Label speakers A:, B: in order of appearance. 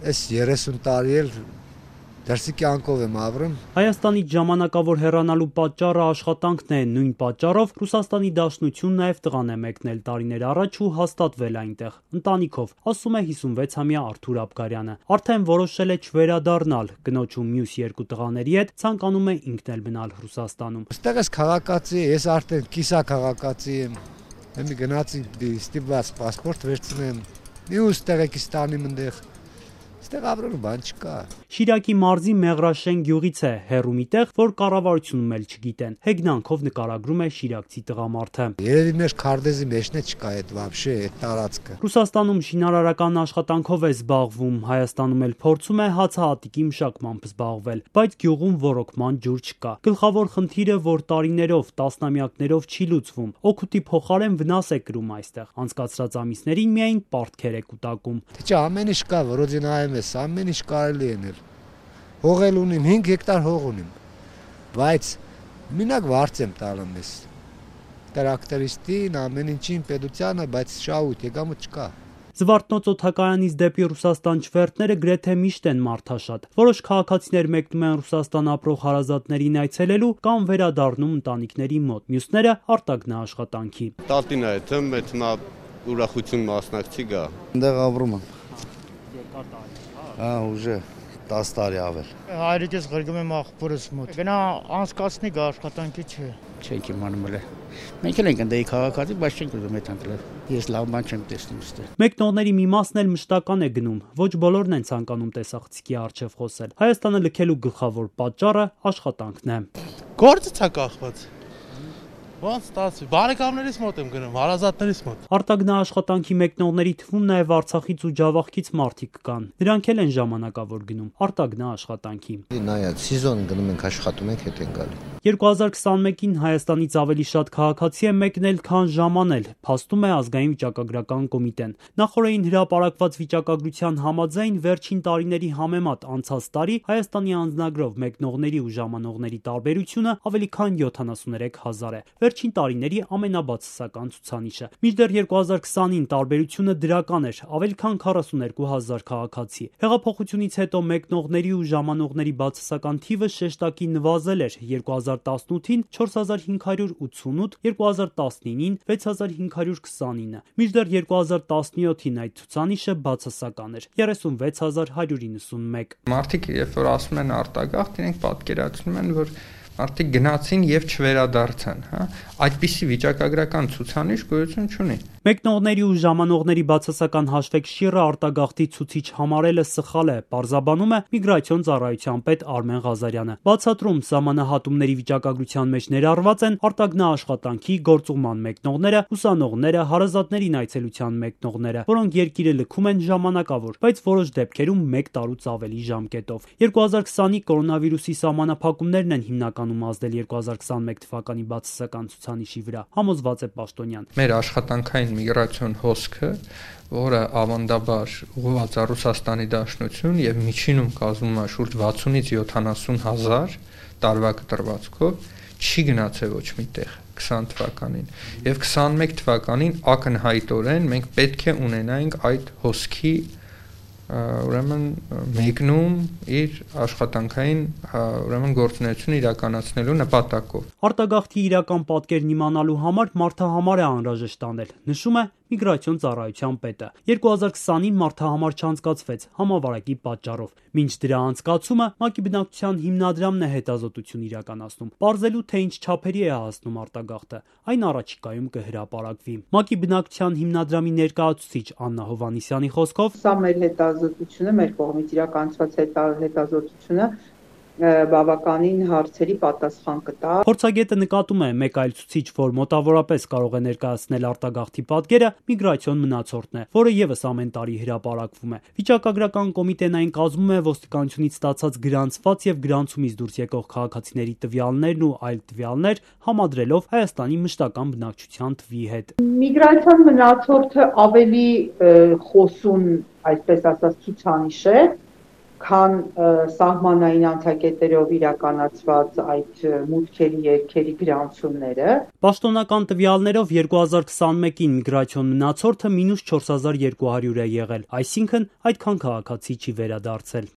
A: Այս 30 տարի էլ դրսի կյանքով եմ ապրում։
B: Հայաստանից ժամանակավոր հեռանալու պատճառը աշխատանքն է, նույն պատճառով Ռուսաստանի Դաշնություն նաև տղան է մեկնել տարիներ առաջ ու հաստատվել այնտեղ, ընտանիքով, ասում է 56-ամյա Արթուր Աբգարյանը։ Արդեն որոշել է չվերադառնալ, կնոջ ու մյուս երկու տղաների հետ ցանկանում է ինքն էլ մնալ Ռուսաստանում։
A: Այստեղ ես քաղաքացի, ես արդեն կիսա քաղաքացի եմ։ Եմ գնացի ստիպված պասպորտ վերցնեմ։ Մյուս տեղեկից տանիմ այնտեղ։ Այստեղ ապրելու բան չկա։
B: Շիրակի մարզի Մեղրաշեն գյուղից է, հեռու մի տեղ, որ կառավարությունում էլ չգիտեն։ Հեգնանքով նկարագրում է շիրակցի տղամարդը։
A: Երևի մեր քարտեզի մեջն է չկա այդ վաբշե այդ տարածքը։
B: Ռուսաստանում շինարարական աշխատանքով է զբաղվում, Հայաստանում էլ փորձում է հացահատիկի մշակմամբ զբաղվել, բայց գյուղում ոռոգման ջուր չկա։ Գլխավոր խնդիրը, որ տարիներով, տասնամյակներով չի լուծվում, օգուտի փոխարեն վնաս է կրում այստեղ։ Անցկացրած ամիսներին միայն պարտքեր է կուտակում։
A: Թե ամեն ինչ կա, որոձին այեմ ես, ամեն ինչ կարելի է։ Հողել ունիմ, 5 հեկտար հող ունիմ, բայց մինակ վարձ եմ տալում ես, տրակտորիստին, ամեն ինչին, պետությանը, բայց շահույթ, եկամուտ չկա։
B: Զվարթնոց օդակայանից դեպի Ռուսաստան չվերթները գրեթե միշտ են մարդաշատ։ Որոշ քաղաքացիներ մեկնում են Ռուսաստան ապրող հարազատներին այցելելու կամ վերադառնում ընտանիքների մոտ, մյուսները արտագնա աշխատանքի։
C: Տատին է, թմա ուրախություն մասնակցի գա։
D: Այնտեղ ապրում եմ։
B: Երկար տարի։
D: Ուժը 10 տարի ավել։
E: Հայրիկես ղրգում եմ աղբորս մոտ։ Գնա անցկացնի գա աշխատանքի չէ։
F: Չենք իմանում էլ։ Մենք էլ ենք ընդդեի քաղաքացի, բայց չենք ուզում այդ անցնել։ Ես լավ բան չեմ տեսնում այստեղ։
B: Մեկնողների մի մասն էլ մշտական է գնում, ոչ բոլորն են ցանկանում տեսախցիկի առջև խոսել։ Հայաստանը լքելու գլխավոր պատճառը աշխատանքն է։
G: Գործը ցա կախված։ Ոնց ստացվի։ Բարեկամներից մոտ եմ գնում, հարազատներից մոտ։
B: Արտագնա աշխատանքի մեկնողների թվում նաև Արցախից ու Ջավախքից մարդիկ կան։ Նրանք էլ են ժամանակավոր գնում արտագնա աշխատանքի։
D: Նայած սեզոն գնում ենք աշխատում ենք հետ են գալի։
B: 2021-ին Հայաստանից ավելի շատ քաղաքացի է մեկնել, քան ժամանել, փաստում է Ազգային վիճակագրական կոմիտեն։ Նախորդին հրապարակված վիճակագրության համաձայն վերջին տարիների համեմատ անցած տարի Հայաստանի անձնագրով մեկնողների ու ժամանողների տարբերությունը ավելի քան 73,000 է։ Վերջին տարիների ամենաբացասական ցուցանիշը։ Մինչդեռ 2020-ին տարբերությունը դրական էր, ավելի քան 42,000 քաղաքացի։ Հեղափոխությունից հետո մեկնողների ու ժամանողների բացասական թիվը շեշտակի նվազել էր 2018-ին 4588, 2019-ին 6529, մինչդեռ 2017-ին այդ ցուցանիշը բացասական էր 36191։
H: Մարդիկ երբ որ ասում են արտագաղթ, իրենք պատկերացնում են, որ մարդիկ գնացին եւ չվերադարձան, հա։ Այդպիսի վիճակագրական ցուցանիշ գոյություն չունի։
B: Մեկնողների ու ժամանողների բացասական հաշվեկշիռը արտագաղթի ցուցիչ համարելը սխալ է, պարզաբանում է միգրացիոն ծառայության պետ Արմեն Ղազարյանը։ Բացատրում սահմանահատումների վիճակագրության մեջ ներառված են արտագնա աշխատանքի, գործուղման մեկնողները, ուսանողները, հարազատներին այցելության մեկնողները, որոնք երկիրը լքում են ժամանակավոր, բայց որոշ դեպքերում 1 տարուց ավելի ժամկետով։ 2020-ի կորոնավիրուսի սահմանափակումներն են հիմնականում ազդել 2021 թվականի բացասական ցուցանիշի վրա, համոզված է Պաշտոնյան։
H: Մեր աշխատանքային միգրացիոն հոսքը, որը ավանդաբար ուղղված է Ռուսաստանի Դաշնություն եւ միջինում կազմում է շուրջ 60-ից 70 հազար տարվա կտրվածքով, չի գնացել ոչ միտեղ 20 թվականին եւ 21 թվականին ակնհայտորեն մենք պետք է ունենայինք այդ հոսքի ուրեմն մեկնում իր աշխատանքային ուրեմն գործունեությունը իրականացնելու նպատակով։
B: Արտագաղթի իրական պատկերն իմանալու համար մարդահամար է անհրաժեշտ անել, նշում է միգրացիոն ծառայության պետը։ 2020-ին մարդահամար չանցկացվեց համավարակի պատճառով։ Մինչ դրա անցկացումը ՄԱԿ-ի բնակչության հիմնադրամն է հետազոտություն իրականացնում, պարզելու թե ինչ չափերի է հասնում արտագաղթը։ Այն առաջիկայում կհրապարակվի։ ՄԱԿ-ի բնակչության հիմնադրամի ներկայացուցիչ Աննա Հովհաննիսյանի խոսքով,
I: սա մեր հետազոտությունը, մեր կողմից իրականացված հետազոտությունը բավականին հարցերի պատասխան կտա։
B: Փորձագետը նկատում է մեկ այլ ցուցիչ, որ մոտավորապես կարող է ներկայացնել արտագաղթի պատկերը, միգրացիոն մնացորդն է, որը եւս ամեն տարի հրապարակվում է։ Վիճակագրական կոմիտեն այն կազմում է ոստիկանությունից ստացած գրանցված եւ գրանցումից դուրս եկող քաղաքացիների տվյալներն ու այլ տվյալներ համադրելով Հայաստանի մշտական բնակչության թվի հետ։
I: Միգրացիոն մնացորդը ավելի խոսուն, այսպես ասած, ցուցանիշ է, քան սահմանային անցակետերով իրականացված այդ մուտքերի երգերի գրանցումները։
B: Պաշտոնական տվյալներով 2021-ին միգրացիոն մնացորդը -4200 է եղել, այսինքն այդքան քաղաքացի չի վերադարձել։